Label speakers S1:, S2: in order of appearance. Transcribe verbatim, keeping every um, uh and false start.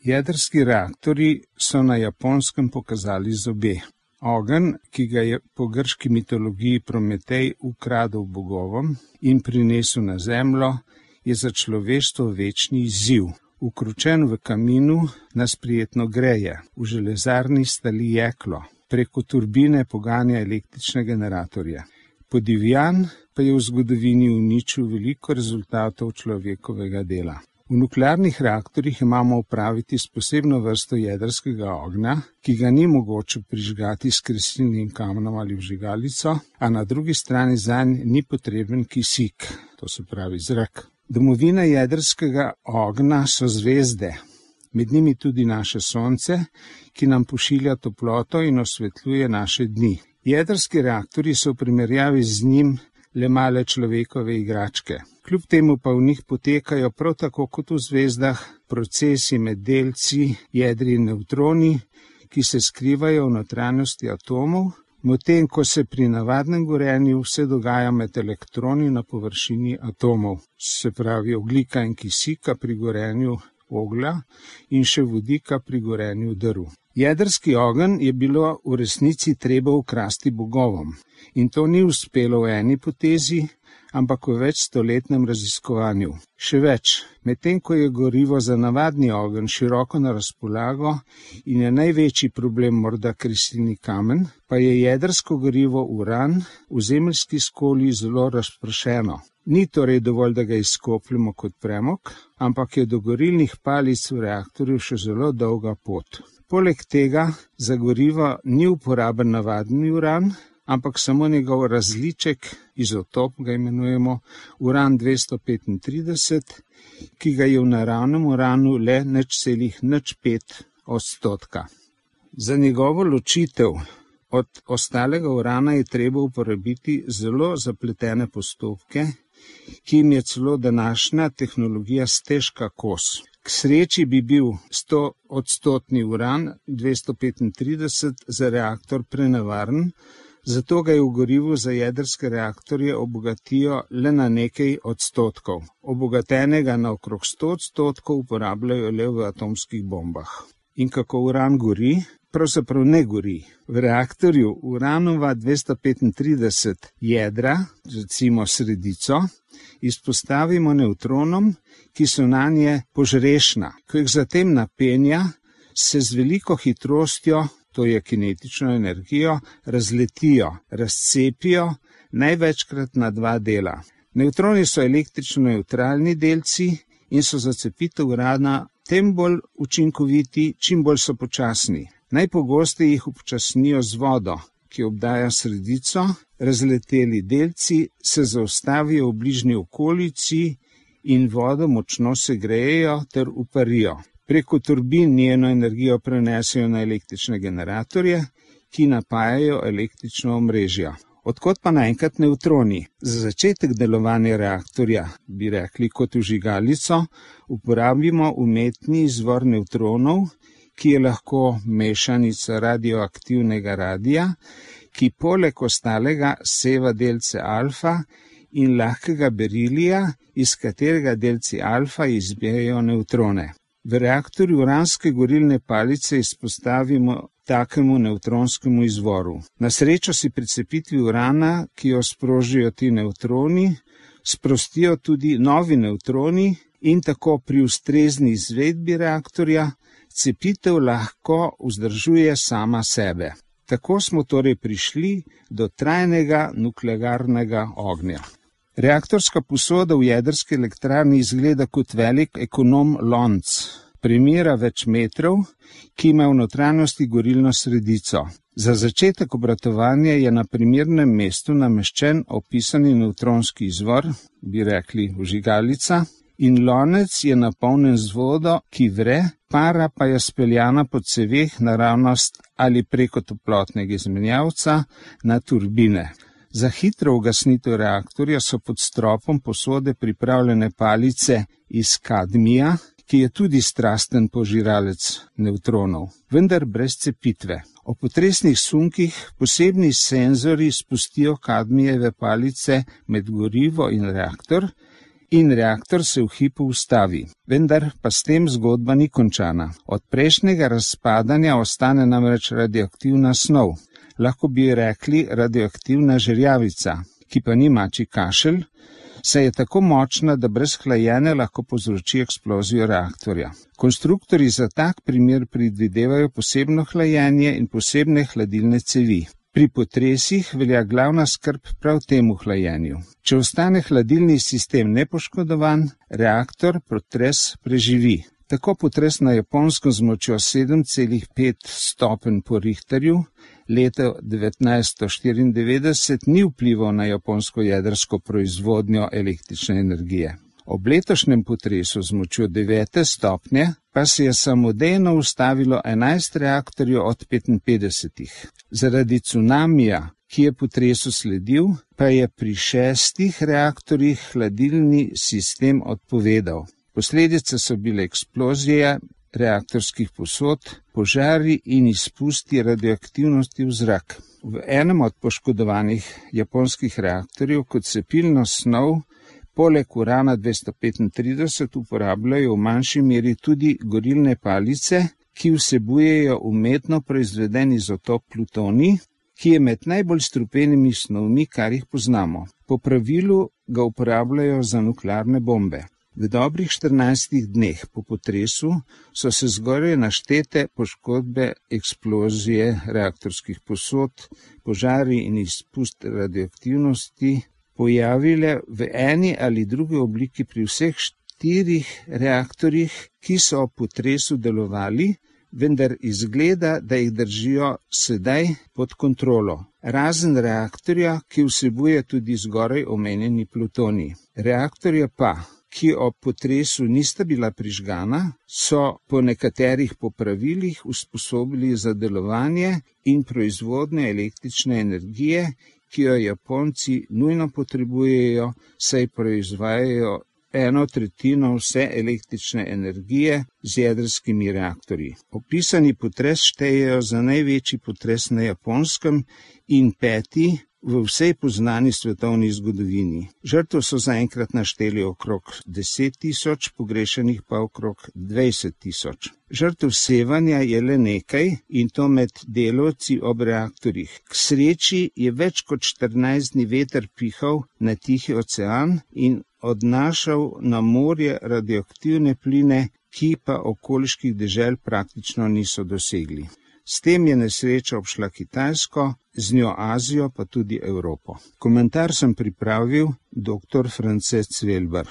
S1: Jedrski reaktorji so na Japonskem pokazali zobe. Ogenj, ki ga je po grški mitologiji Prometej ukradel bogovom in prinesel na zemljo, je za človeštvo večni izziv. Ukročen v kaminu nas prijetno greje, v železarni stali jeklo, preko turbine poganja električne generatorje. Podivjan pa je v zgodovini uničil veliko rezultatov človekovega dela. V nuklearnih reaktorjih imamo opraviti s posebno vrsto jedrskega ognja, ki ga ni mogoče prižgati s kresilnim kamenom ali vžigalico, a na drugi strani zanj ni potreben kisik, to se pravi zrak. Domovina jedrskega ognja so zvezde, med njimi tudi naše sonce, ki nam pošilja toploto in osvetljuje naše dni. Jedrski reaktorji so v primerjavi z njim le male človekove igračke. Kljub temu pa v njih potekajo prav tako kot v zvezdah procesi med delci, jedri in nevtroni, ki se skrivajo v notranjosti atomov, medtem ko se pri navadnem gorenju vse dogaja med elektroni na površini atomov, se pravi ogljika in kisika pri gorenju oglja in še vodika pri gorenju drv. Jedrski ogenj je bilo v resnici treba ukrasti bogovom in to ni uspelo v eni potezi, ampak v večstoletnem raziskovanju. Še več, medtem ko je gorivo za navadni ogenj široko na razpolago in je največji problem morda kresilni kamen, pa je jedrsko gorivo uran v zemeljski skoli zelo razpršeno. Ni torej dovolj, da ga izkopljemo kot premog, ampak je do gorilnih palic v reaktorju še zelo dolga pot. Poleg tega za gorivo ni uporaben navadni uran, ampak samo njegov različek, izotop ga imenujemo, uran dvesto petintrideset, ki ga je v naravnem uranu le nič celih nič pet odstotka. Za njegovo ločitev od ostalega urana je treba uporabiti zelo zapletene postopke, ki jim je celo današnja tehnologija stežka kos. K sreči bi bil sto odstotni uran dvesto petintrideset za reaktor prenevaren, zato ga je v gorivu za jedrske reaktorje obogatijo le na nekaj odstotkov. Obogatenega na okrog sto odstotkov uporabljajo le v atomskih bombah. In kako uran gori? Pravzaprav ne gori. V reaktorju uranova dvesto petintrideset jedra, recimo sredico, izpostavimo nevtronom, ki so nanje požrešna. Ko jih zatem napenja, se z veliko hitrostjo, to je kinetično energijo, razletijo, razcepijo, največkrat na dva dela. Nevtroni so električno nevtralni delci in so za cepitev urana tem bolj učinkoviti, čim bolj so počasni. Najpogosteje jih upočasnijo z vodo, ki obdaja sredico, razleteli delci se zaustavijo v bližnji okolici in vodo močno segrejejo ter uparijo. Preko turbin njeno energijo prenesejo na električne generatorje, ki napajajo električno omrežje. Odkot pa naenkrat nevtroni? Za začetek delovanja reaktorja, bi rekli kot vžigalico, uporabimo umetni izvor nevtronov, ki je lahko mešanica radioaktivnega radija, ki poleg ostalega seva delce alfa in lahkega berilija, iz katerega delci alfa izbijajo nevtrone. V reaktorju uranske gorilne palice izpostavimo takemu nevtronskemu izvoru. Na srečo si pri cepitvi urana, ki jo sprožijo ti nevtroni, sprostijo tudi novi nevtroni in tako pri ustrezni izvedbi reaktorja cepitev lahko vzdržuje sama sebe. Tako smo torej prišli do trajnega nuklearnega ognja. Reaktorska posoda v jedrski elektrarni izgleda kot velik ekonom lonc, premera več metrov, ki ima v notranjosti gorilno sredico. Za začetek obratovanja je na primernem mestu nameščen opisani nevtronski izvor, bi rekli vžigalica, in lonec je napolnjen z vodo, ki vre, para pa je speljana po ceveh naravnost ali preko toplotnega izmenjavca na turbine. Za hitro ugasnitev reaktorja so pod stropom posode pripravljene palice iz kadmija, ki je tudi strasten požiralec nevtronov, vendar brez cepitve. O potresnih sunkih posebni senzori spustijo kadmijeve palice med gorivo in reaktor in reaktor se v hipu ustavi. Vendar pa s tem zgodba ni končana. Od prejšnjega razpadanja ostane namreč radioaktivna snov. Lahko bi rekli radioaktivna žerjavica, ki pa ni mačji kašelj, saj je tako močna, da brez hlajenja lahko povzroči eksplozijo reaktorja. Konstruktorji za tak primer predvidevajo posebno hlajenje in posebne hladilne cevi. Pri potresih velja glavna skrb prav temu hlajenju. Če ostane hladilni sistem nepoškodovan, reaktor potres preživi. Tako potres na Japonskem z močjo sedem celih pet stopenj po Richterju leta devetnajststo štiriindevetdeset ni vplival na japonsko jedrsko proizvodnjo električne energije. Ob letošnjem potresu z močjo devete stopnje pa se je samodejno ustavilo enajst reaktorjev od petinpetdesetih. Zaradi cunamija, ki je potresu sledil, pa je pri šestih reaktorjih hladilni sistem odpovedal. Posledice so bile eksplozije reaktorskih posod, požari in izpusti radioaktivnosti v zrak. V enem od poškodovanih japonskih reaktorjev kot cepilno snov poleg urana dvesto petintrideset uporabljajo v manjši meri tudi gorilne palice, ki vsebujejo umetno proizveden izotop plutonij, ki je med najbolj strupenimi snovmi, kar jih poznamo. Po pravilu ga uporabljajo za nuklearne bombe. V dobrih štirinajstih dneh po potresu so se zgoraj naštete poškodbe, eksplozije reaktorskih posod, požari in izpust radioaktivnosti pojavile v eni ali drugi obliki pri vseh štirih reaktorjih, ki so ob potresu delovali, vendar izgleda, da jih držijo sedaj pod kontrolo. Razen reaktorja, ki vsebuje tudi zgoraj omenjeni plutonij. Reaktorja pa, ki ob potresu nista bila prižgana, so po nekaterih popravilih usposobili za delovanje in proizvodnjo električne energije, ki jo Japonci nujno potrebujejo, saj proizvajajo eno tretjino vse električne energije z jedrskimi reaktorji. Opisani potres štejejo za največji potres na Japonskem in peti v vsej poznani svetovni zgodovini. Žrtev so zaenkrat našteli okrog deset tisoč, pogrešenih pa okrog dvajset tisoč. Žrtev sevanja je le nekaj in to med delavci ob reaktorjih. K sreči je več kot štirinajst dni veter pihal na Tihi ocean in odnašal na morje radioaktivne pline, ki pa okoliških dežel praktično niso dosegli. S tem je nesreča obšla Kitajsko, z njo Azijo pa tudi Evropo. Komentar sem pripravil dr. France Cvelbar.